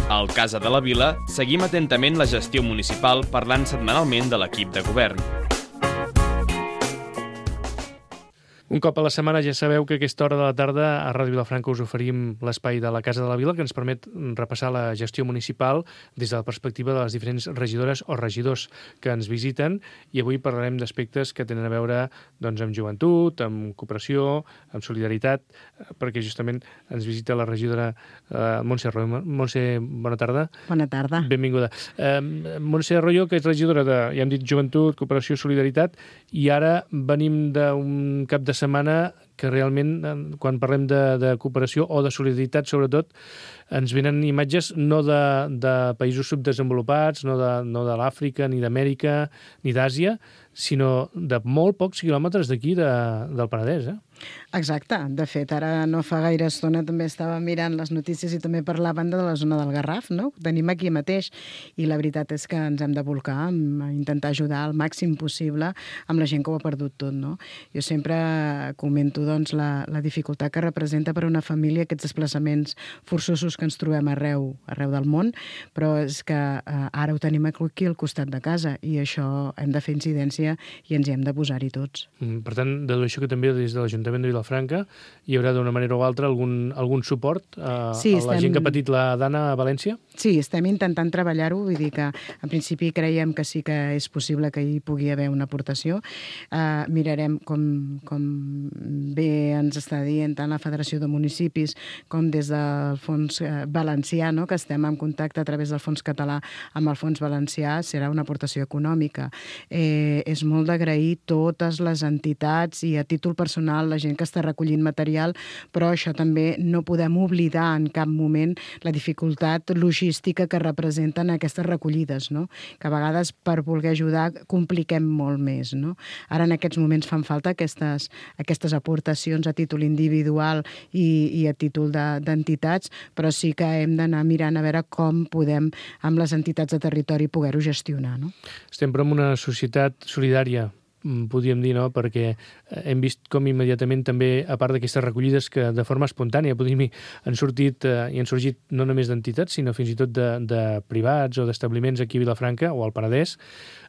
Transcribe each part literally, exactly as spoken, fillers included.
Al Casa de la Vila seguim atentament la gestió municipal parlant setmanalment de l'equip de govern. Un cop a la setmana ja sabeu que a aquesta hora de la tarda a Ràdio Vilafranca us oferim l'espai de la Casa de la Vila que ens permet repassar la gestió municipal des de la perspectiva de les diferents regidores o regidors que ens visiten, i avui parlarem d'aspectes que tenen a veure doncs, amb joventut, amb cooperació, amb solidaritat, perquè justament ens visita la regidora eh, Montse Arroyo. Montse, bona tarda. Bona tarda. Benvinguda. Eh, Montse Arroyo, que és regidora de, ja hem dit, joventut, cooperació, solidaritat, i ara venim d'un cap de setmana que realment, quan parlem de, de cooperació o de solidaritat, sobretot, ens venen imatges no de, de països subdesenvolupats, no de, no de l'Àfrica, ni d'Amèrica, ni d'Àsia, sinó de molt pocs quilòmetres d'aquí, de, del Penedès, eh? Exacte. De fet, ara no fa gaire estona també estava mirant les notícies i també parlaven de la zona del Garraf, no? Ho tenim aquí mateix, i la veritat és que ens hem de volcar a intentar ajudar al màxim possible amb la gent que ho ha perdut tot, no? Jo sempre comento doncs, la, la dificultat que representa per a una família aquests desplaçaments forçosos que ens trobem arreu, arreu del món, però és que eh, ara ho tenim aquí al costat de casa i això hem de fer incidència i ens hi hem de posar-hi tots. Mm, per tant, dedueixo que també des de l'Ajuntament de Vilafranca hi haurà d'una manera o altra algun, algun suport a, sí, a la estem... gent que ha patit la Dana a València? Sí, estem intentant treballar-ho, vull dir que en principi creiem que sí que és possible que hi pugui haver una aportació. Uh, mirarem com, com bé ens està dient tant la Federació de Municipis com des del Fons Valencià, no? Que estem en contacte a través del Fons Català amb el Fons Valencià, serà una aportació econòmica. Eh, és molt d'agrair totes les entitats i a títol personal la gent que està recollint material, però això també no podem oblidar en cap moment la dificultat logística que representen aquestes recollides, no? Que a vegades per voler ajudar compliquem molt més, no? Ara en aquests moments fan falta aquestes, aquestes aportacions a títol individual i, i a títol d'entitats, de, però sí que hem d'anar mirant a veure com podem amb les entitats de territori poder-ho gestionar, no? Estem però en una societat solidària, podríem dir, no? Perquè hem vist com immediatament també, a part d'aquestes recollides que de forma espontània, podríem dir, han sortit eh, i han sorgit no només d'entitats, sinó fins i tot de, de privats o d'establiments aquí a Vilafranca o al Penedès.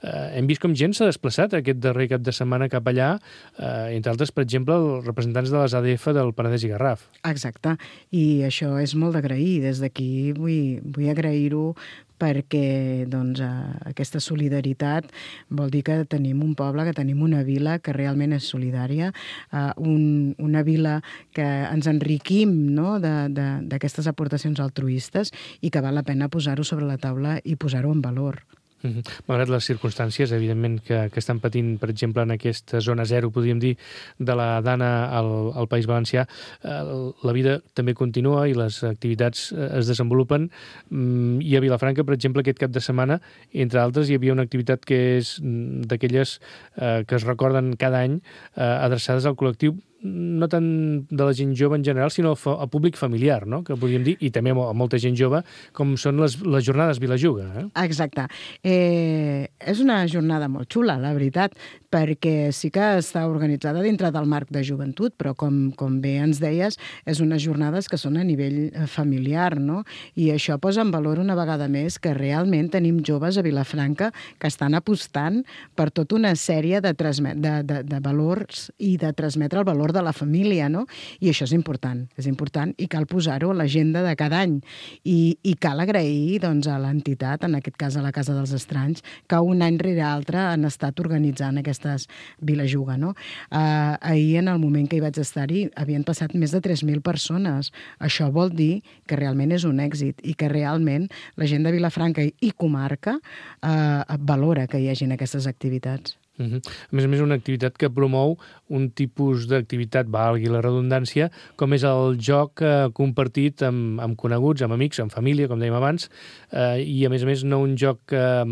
Eh, hem vist com gent s'ha desplaçat aquest darrer cap de setmana cap allà, eh, entre altres, per exemple, els representants de les A D F del Penedès i Garraf. Exacte, i això és molt d'agrair. Des d'aquí vull, vull agrair-ho perquè doncs, aquesta solidaritat vol dir que tenim un poble, que tenim una vila que realment és solidària, un, una vila que ens enriquim, no? d'aquestes aportacions altruistes i que val la pena posar-ho sobre la taula i posar-ho en valor. Mm-hmm. Malgrat les circumstàncies, evidentment, que, que estan patint, per exemple, en aquesta zona zero, podríem dir, de la Dana al, al País Valencià, eh, la vida també continua i les activitats eh, es desenvolupen. Mm, I a Vilafranca, per exemple, aquest cap de setmana, entre altres, hi havia una activitat que és d'aquelles eh, que es recorden cada any, eh, adreçades al col·lectiu no tant de la gent jove en general, sinó al públic familiar, no? Que podríem dir, i també a molta gent jove, com són les, les jornades Vilajuga. Eh? Exacte. Eh, és una jornada molt xula, la veritat, perquè sí que està organitzada dintre del marc de joventut, però com, com bé ens deies, és unes jornades que són a nivell familiar, no? I això posa en valor una vegada més que realment tenim joves a Vilafranca que estan apostant per tota una sèrie de, de, de, de valors i de transmetre el valor de la família, no? I això és important, és important i cal posar-ho a l'agenda de cada any. I, i cal agrair doncs, a l'entitat, en aquest cas a la Casa dels Estranys, que un any rere altre han estat organitzant aquestes Vilajuga, no? Uh, ahir, en el moment que hi vaig estar-hi, havien passat més de tres mil persones. Això vol dir que realment és un èxit i que realment la gent de Vilafranca i comarca uh, valora que hi hagin aquestes activitats. Uh-huh. A més a més, una activitat que promou un tipus d'activitat, valgui la redundància, com és el joc eh, compartit amb, amb coneguts, amb amics, amb família, com dèiem abans, eh, i a més a més no un joc eh,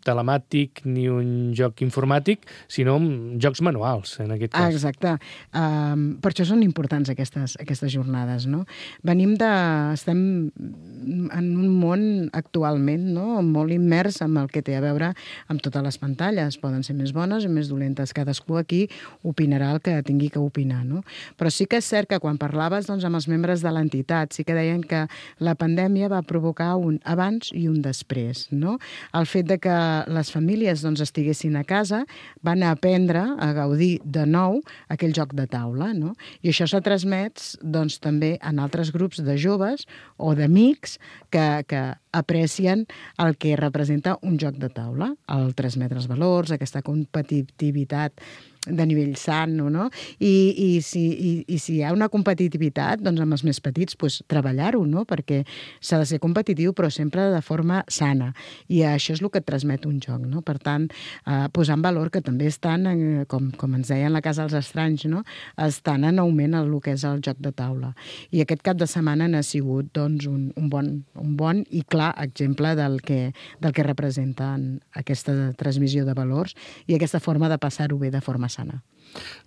telemàtic ni un joc informàtic, sinó jocs manuals, en aquest cas. Ah, exacte. Um, per això són importants aquestes, aquestes jornades, no? Venim de... Estem en un món actualment, no?, molt immers amb el que té a veure amb totes les pantalles. Poden ser més bones i més dolentes. Cadascú aquí opinarà el que tingui que opinar, no? Però sí que és cert que quan parlaves doncs, amb els membres de l'entitat, sí que deien que la pandèmia va provocar un abans i un després, no? El fet de que les famílies doncs, estiguessin a casa van aprendre a gaudir de nou aquell joc de taula, no? I això s'ha transmès doncs, també en altres grups de joves o d'amics que, que aprecien el que representa un joc de taula, el transmetre els valors, aquesta competitivitat de nivell sano, no? I, i, si, i, i si hi ha una competitivitat, doncs amb els més petits, doncs, treballar-ho, no? Perquè s'ha de ser competitiu, però sempre de forma sana. I això és el que et transmet un joc, no? Per tant, eh, posar en valor que també estan, en, com, com ens deien la Casa dels Estranys, no? Estan en augment el que és el joc de taula. I aquest cap de setmana n'ha sigut doncs, un, un, bon, un bon i clar exemple del que, del que representen aquesta transmissió de valors i aquesta forma de passar-ho bé de forma sana.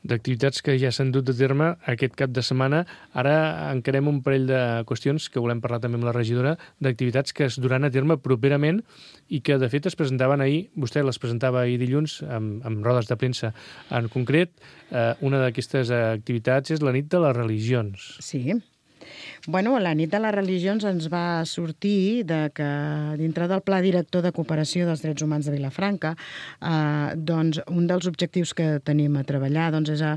D'activitats que ja s'han dut a terme aquest cap de setmana. Ara encarem un parell de qüestions que volem parlar també amb la regidora, d'activitats que es duran a terme properament i que, de fet, es presentaven ahir, vostè les presentava ahir dilluns amb, amb rodes de premsa. En concret, eh, una d'aquestes activitats és la nit de les religions. Sí. Bueno, la nit de les religions ens va sortir de que dintre del Pla Director de Cooperació dels Drets Humans de Vilafranca, eh, doncs un dels objectius que tenim a treballar doncs és a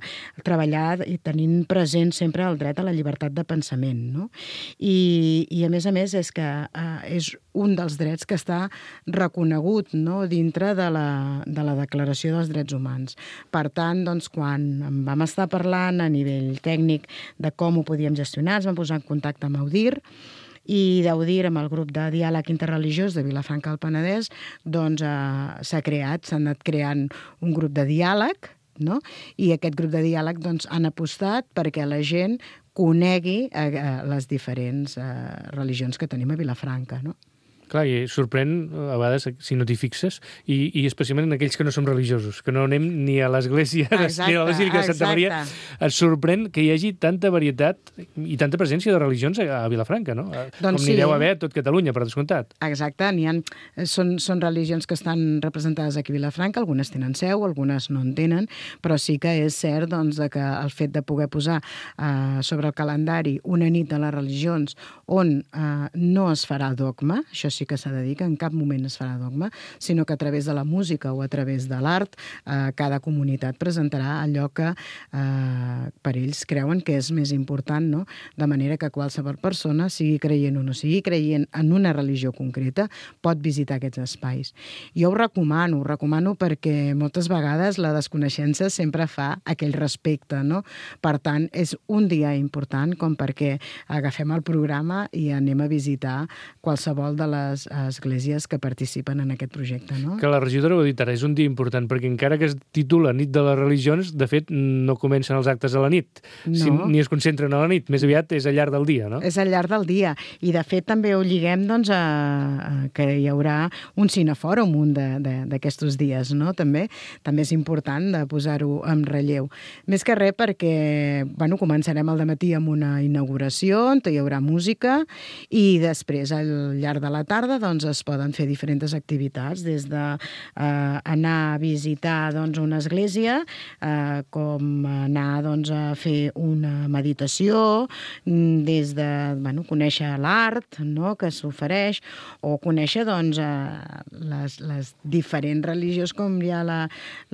treballar i tenint present sempre el dret a la llibertat de pensament, no? I, i a més a més és que eh, és un dels drets que està reconegut, no? Dintre de la, de la Declaració dels Drets Humans. Per tant, doncs, quan vam estar parlant a nivell tècnic de com ho podíem gestionar, ens vam posar en contacte amb Audir, i d'Audir, amb el grup de diàleg interreligiós de Vilafranca del Penedès, doncs eh, s'ha creat, s'ha anat creant un grup de diàleg, no? I aquest grup de diàleg doncs, han apostat perquè la gent conegui eh, les diferents eh, religions que tenim a Vilafranca, no? Clar, i sorprèn, a vegades, si no t'hi fixes, i, i especialment en aquells que no som religiosos, que no anem ni a l'església exacte, ni a la Basílica de Santa Maria. Et sorprèn que hi hagi tanta varietat i tanta presència de religions a, a Vilafranca, no? Doncs com n'hi sí. deu haver a tot Catalunya, per descomptat. Exacte, n'hi ha, són, són religions que estan representades aquí a Vilafranca, algunes tenen seu, algunes no en tenen, però sí que és cert doncs, que el fet de poder posar eh, sobre el calendari una nit de les religions on eh, no es farà dogma, això sí que s'ha de dir que en cap moment es farà dogma, sinó que a través de la música o a través de l'art eh, cada comunitat presentarà allò que eh, per ells creuen que és més important, no? De manera que qualsevol persona, sigui creient o no sigui creient en una religió concreta, pot visitar aquests espais. Jo ho recomano, ho recomano perquè moltes vegades la desconeixença sempre fa aquell respecte, no? Per tant, és un dia important com perquè agafem el programa i anem a visitar qualsevol de les esglésies que participen en aquest projecte, no? Que la regidora ho ha dit ara, és un dia important, perquè encara que es titula Nit de les Religions, de fet, no comencen els actes a la nit, no. si, ni es concentren a la nit, més aviat és al llarg del dia, no? És al llarg del dia, i de fet també ho lliguem doncs, a, a que hi haurà un cinefòrum un d'aquests dies, no? També també és important de posar-ho en relleu. Més que res perquè, bueno, començarem al dematí amb una inauguració, on hi haurà música, i després al llarg de la tarda doncs, es poden fer diferents activitats, des d'anar eh, a visitar doncs, una església, eh, com anar doncs, a fer una meditació, des de bueno, conèixer l'art, no?, que s'ofereix, o conèixer doncs, eh, les, les diferents religions, com hi ha la,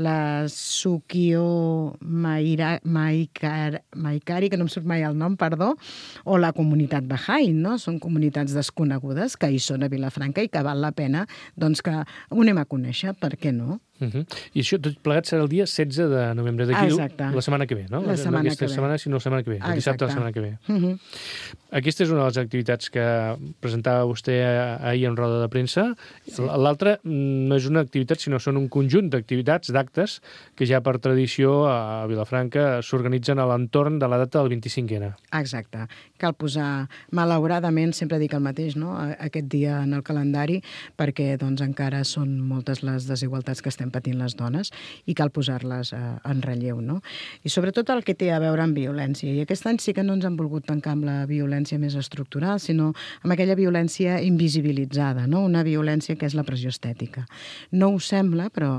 la Sukio Maira, Maikar, Maikari, que no em surt mai el nom, perdó, o la comunitat Bahá'í, no? Són comunitats desconegudes que hi són a Vilafranca i que val la pena doncs, que ho anem a conèixer, per què no? Uh-huh. I això tot plegat serà el dia setze de novembre, d'aquí la setmana que ve, no? La setmana no aquesta que ve. setmana, sinó la setmana que ve, el dissabte de la setmana que ve. Uh-huh. Aquesta és una de les activitats que presentava vostè ahir en roda de premsa. Sí. L'altra no és una activitat, sinó són un conjunt d'activitats, d'actes, que ja per tradició a Vilafranca s'organitzen a l'entorn de la data del vint-i-cinc ena. Exacte. Cal posar, malauradament, sempre dic el mateix, no? Aquest dia en el calendari perquè doncs, encara són moltes les desigualtats que estem patint les dones i cal posar-les eh, en relleu. No? I sobretot el que té a veure amb violència. I aquest any sí que no ens han volgut tancar amb la violència més estructural, sinó amb aquella violència invisibilitzada, no? Una violència que és la pressió estètica. No ho sembla, però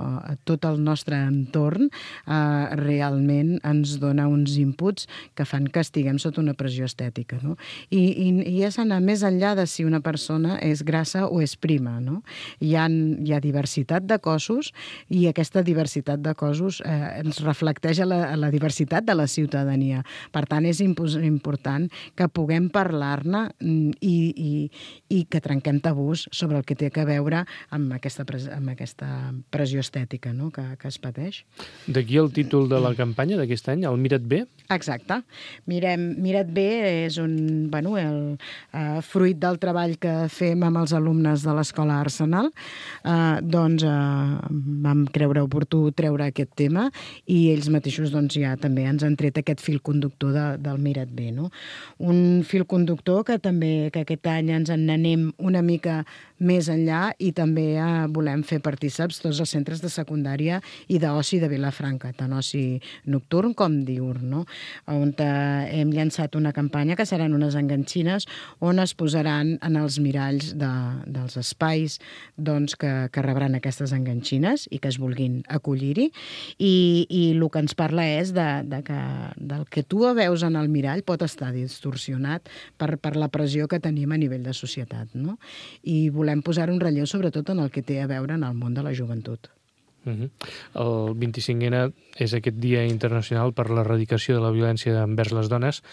tot el nostre entorn eh, realment ens dona uns inputs que fan que estiguem sota una pressió estètica. No? I, i, i és anar més enllà de si una persona és grassa o és prima. No? Hi ha, hi ha diversitat de cossos i aquesta diversitat de cossos eh, ens reflecteix a la, a la diversitat de la ciutadania. Per tant, és important que puguem parlar-ne i, i, i que trenquem tabús sobre el que té a veure amb aquesta, amb aquesta pressió estètica, no? que, que es pateix. D'aquí el títol de la campanya d'aquest any, el Mira't bé? Exacte. Mirem, Mira't bé és un, bueno, el uh, fruit del treball que fem amb els alumnes de l'Escola Arsenal. Uh, doncs uh, vam creure oportú treure aquest tema i ells mateixos doncs, ja també ens han tret aquest fil conductor de, del Mira't bé. No? Un fil conductor que també que aquest any ens en anem una mica més enllà i també eh, volem fer partíceps tots els centres de secundària i d'oci de Vilafranca, tant oci nocturn com diürn, no? On eh, hem llançat una campanya que seran unes enganxines on es posaran en els miralls de, dels espais doncs, que, que rebran aquestes enganxines i que es vulguin acollir-hi i, i el que ens parla és de, de que, del que tu veus en el mirall pot estar distorsionat per, per la pressió que tenim a nivell de societat, no? I volem posar un relleu sobretot en el que té a veure en el món de la joventut. Uh-huh. El vint-i-cinquè ena és aquest Dia Internacional per l'Erradicació de la Violència envers les dones.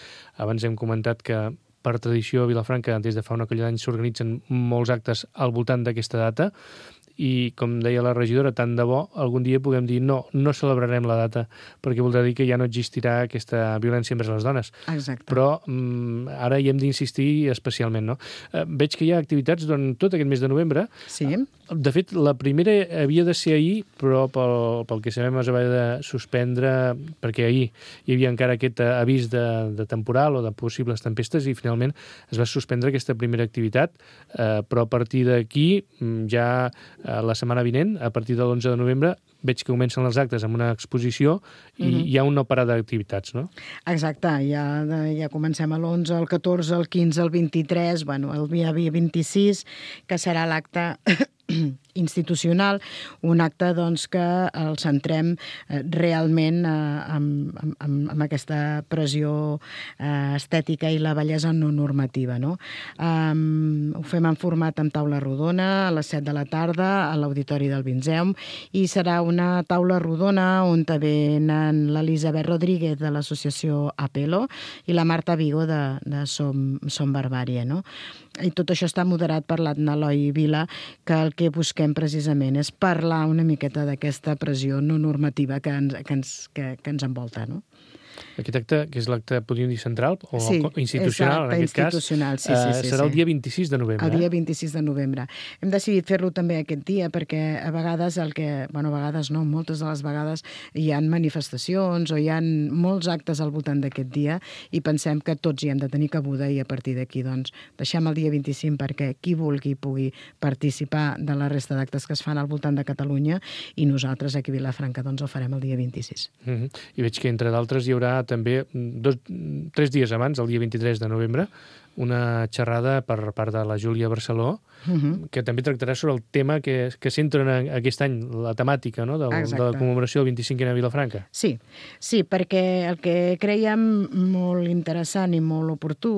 Abans hem comentat que per tradició a Vilafranca des de fa una colla d'anys s'organitzen molts actes al voltant d'aquesta data i, com deia la regidora, tant de bo algun dia puguem dir no, no celebrarem la data perquè voldrà dir que ja no existirà aquesta violència envers les dones. Exacte. Però mm, ara hi hem d'insistir especialment. No? Eh, veig que hi ha activitats durant tot aquest mes de novembre. Sí. De fet, la primera havia de ser ahir, però pel, pel que sabem es va haver de suspendre perquè ahir hi havia encara aquest avís de, de temporal o de possibles tempestes i finalment es va suspendre aquesta primera activitat, eh, però a partir d'aquí ja la setmana vinent, a partir de l'onze de novembre, veig que comencen els actes amb una exposició i uh-huh. hi ha un no parar d'activitats, no? Exacte, ja, ja comencem a l'onze, el catorze, el quinze, el vint-i-tres, bueno, el dia vint-i-sis, que serà l'acte institucional, un acte doncs, que el centrem eh, realment eh, amb, amb, amb aquesta pressió eh, estètica i la bellesa no normativa. No? Um, ho fem en format amb taula rodona a les set de la tarda a l'Auditori del Vinzeum i serà una taula rodona on venen l'Elisabet Rodríguez de l'associació Apelo i la Marta Vigo de, de Som, Som Barbària. No? I tot això està moderat per l'Adna Eloi Vila, que el que busquem precisament és parlar una miqueta d'aquesta pressió no normativa que ens, que ens, que, que ens envolta, no? Aquest acte, que és l'acte, podríem dir, central o sí, institucional, exacte, en aquest institucional, cas, sí, sí, sí, serà sí. el dia vint-i-sis de novembre. El dia vint-i-sis de novembre. Hem decidit fer-lo també aquest dia perquè a vegades el que... Bueno, a vegades no, moltes de les vegades hi ha manifestacions o hi ha molts actes al voltant d'aquest dia i pensem que tots hi hem de tenir cabuda i a partir d'aquí, doncs, deixem el dia vint-i-cinc perquè qui vulgui pugui participar de la resta d'actes que es fan al voltant de Catalunya i nosaltres aquí a Vilafranca, doncs, el farem el dia vint-i-sis. Uh-huh. I veig que, entre d'altres, hi haurà també dos, tres dies abans, el dia vint-i-tres de novembre, una xerrada per part de la Júlia Barceló, uh-huh. que també tractarà sobre el tema que, que centra aquest any, la temàtica, no? de, de la commemoració del vint-i-cinquè ena a Vilafranca. Sí, sí, perquè el que creiem molt interessant i molt oportú,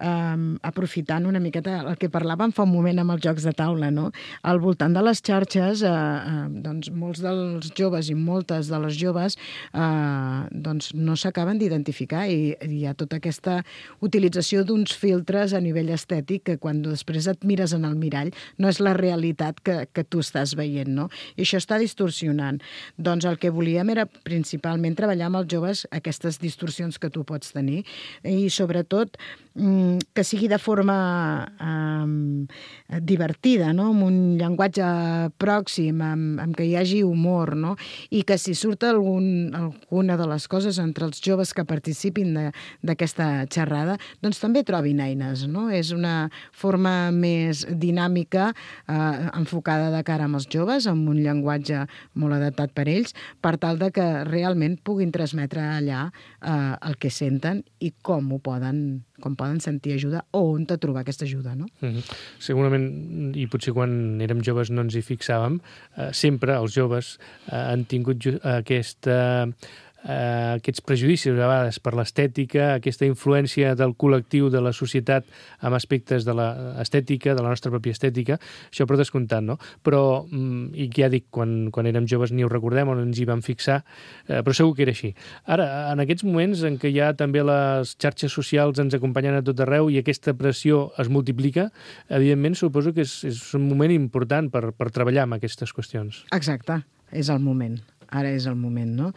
eh, aprofitant una miqueta el que parlàvem fa un moment amb els jocs de taula, no? Al voltant de les xarxes, eh, eh, doncs molts dels joves i moltes de les joves eh, doncs no s'acaben d'identificar i hi ha tota aquesta utilització d'uns filtres a nivell estètic que quan després et mires en el mirall no és la realitat que, que tu estàs veient, no? I això està distorsionant. Doncs el que volíem era principalment treballar amb els joves aquestes distorsions que tu pots tenir i sobretot que sigui de forma um, divertida, no? Amb un llenguatge pròxim, amb, amb que hi hagi humor, no? I que si surt algun, alguna de les coses entre els joves que participin d'aquesta xerrada, doncs també trobin tenint eines, no? És una forma més dinàmica, eh, enfocada de cara amb els joves, amb un llenguatge molt adaptat per ells, per tal de que realment puguin transmetre allà eh, el que senten i com ho poden, com poden sentir ajuda o on te trobar aquesta ajuda, no? Mm-hmm. Segurament, i potser quan érem joves no ens hi fixàvem, eh, sempre els joves eh, han tingut ju- aquesta... Uh, aquests prejudicis a vegades per l'estètica, aquesta influència del col·lectiu, de la societat amb aspectes de l'estètica, de la nostra pròpia estètica, això per descomptat, no? Però, mm, i ja dic, quan, quan érem joves ni ho recordem o no ens hi vam fixar, eh, però segur que era així. Ara, en aquests moments en què ja també les xarxes socials ens acompanyen a tot arreu i aquesta pressió es multiplica, evidentment suposo que és, és un moment important per, per treballar amb aquestes qüestions. Exacte, és el moment. Ara és el moment, no?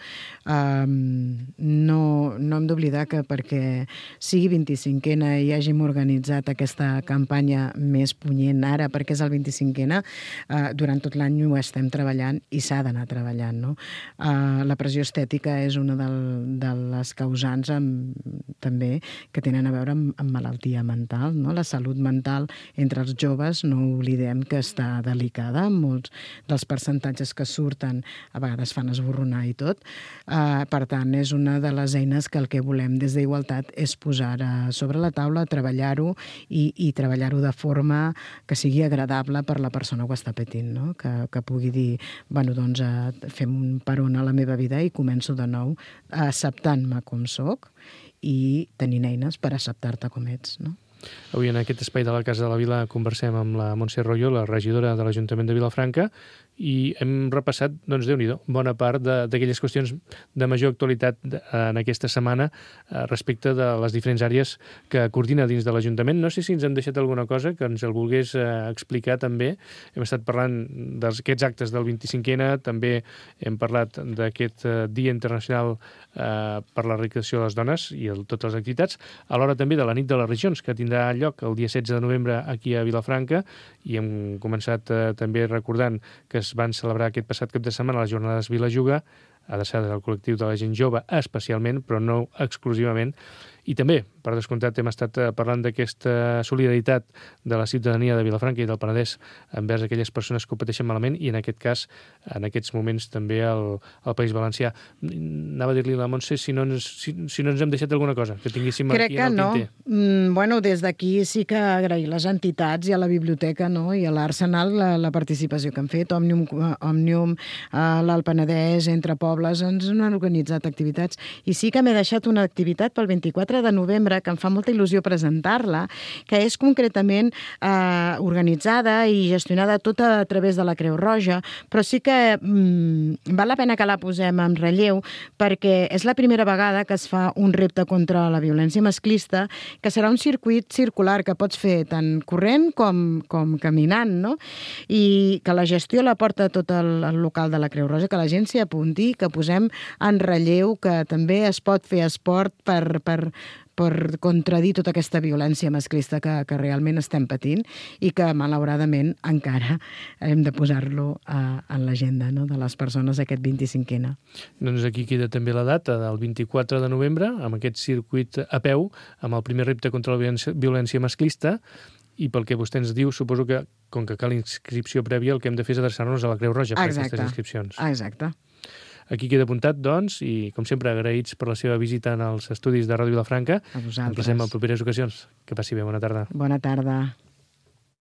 Um, no, no hem d'oblidar que perquè sigui vint-i-cinquena i hàgim organitzat aquesta campanya més punyent ara, perquè és el vint-i-cinquena, uh, durant tot l'any ho estem treballant i s'ha d'anar treballant, no? Uh, la pressió estètica és una del, de les causants amb, també que tenen a veure amb, amb malaltia mental, no? La salut mental entre els joves, no oblidem que està delicada, molts dels percentatges que surten a vegades fan esborronar i tot. Uh, per tant, és una de les eines que el que volem des d'Igualtat és posar sobre la taula, treballar-ho i, i treballar-ho de forma que sigui agradable per la persona que ho està patint, no? Que, que pugui dir, bueno, doncs uh, fem un peron a la meva vida i començo de nou acceptant-me com soc i tenint eines per acceptar-te com ets, no? Avui en aquest espai de la Casa de la Vila conversem amb la Montse Royo, la regidora de l'Ajuntament de Vilafranca, i hem repassat, doncs, Déu-n'hi-do, bona part d'aquelles qüestions de major actualitat en aquesta setmana respecte de les diferents àrees que coordina dins de l'Ajuntament. No sé si ens hem deixat alguna cosa que ens el volgués explicar també. Hem estat parlant d'aquests actes del vint-i-cinquena, també hem parlat d'aquest Dia Internacional per l'Erradicació de les Dones i el, totes les activitats, alhora també de la Nit de les Regions, que tindrà lloc el dia setze de novembre aquí a Vilafranca, i hem començat eh, també recordant que es van celebrar aquest passat cap de setmana les jornades Vilajuga, adreçades al col·lectiu de la gent jove especialment, però no exclusivament. I també, per descomptat, hem estat parlant d'aquesta solidaritat de la ciutadania de Vilafranca i del Penedès envers aquelles persones que ho pateixen malament i, en aquest cas, en aquests moments també al, al País Valencià. Anava a dir-li a la Montse si no, ens, si, si no ens hem deixat alguna cosa que tinguéssim Crec aquí en el no. tinter. Mm, bueno, des d'aquí sí que agrair les entitats i a la biblioteca, no? I a l'Arsenal la, la participació que han fet. Òmnium, Òmnium l'Alt Penedès, Entre Pobles, ens han organitzat activitats. I sí que m'he deixat una activitat pel vint-i-quatre de novembre, que em fa molta il·lusió presentar-la, que és concretament eh, organitzada i gestionada tota a través de la Creu Roja, però sí que mm, val la pena que la posem en relleu, perquè és la primera vegada que es fa un repte contra la violència masclista, que serà un circuit circular que pots fer tant corrent com, com caminant, no? I que la gestió la porta tot el, el local de la Creu Roja, que la gent s'hi apunti, que posem en relleu que també es pot fer esport per, per, per contradir tota aquesta violència masclista que, que realment estem patint i que, malauradament, encara hem de posar-lo a, en l'agenda, no?, de les persones aquest vint-i-cinquena. Doncs aquí queda també la data del vint-i-quatre de novembre, amb aquest circuit a peu, amb el primer repte contra la violència, violència masclista, i pel que vostè ens diu, suposo que, com que cal inscripció prèvia, el que hem de fer és adreçar-nos a la Creu Roja per Exacte. aquestes inscripcions. Exacte. Aquí queda apuntat, doncs, i, com sempre, agraïts per la seva visita en els estudis de Ràdio Vilafranca. A vosaltres. Ens passem en properes ocasions. Que passi bé, bona tarda. Bona tarda.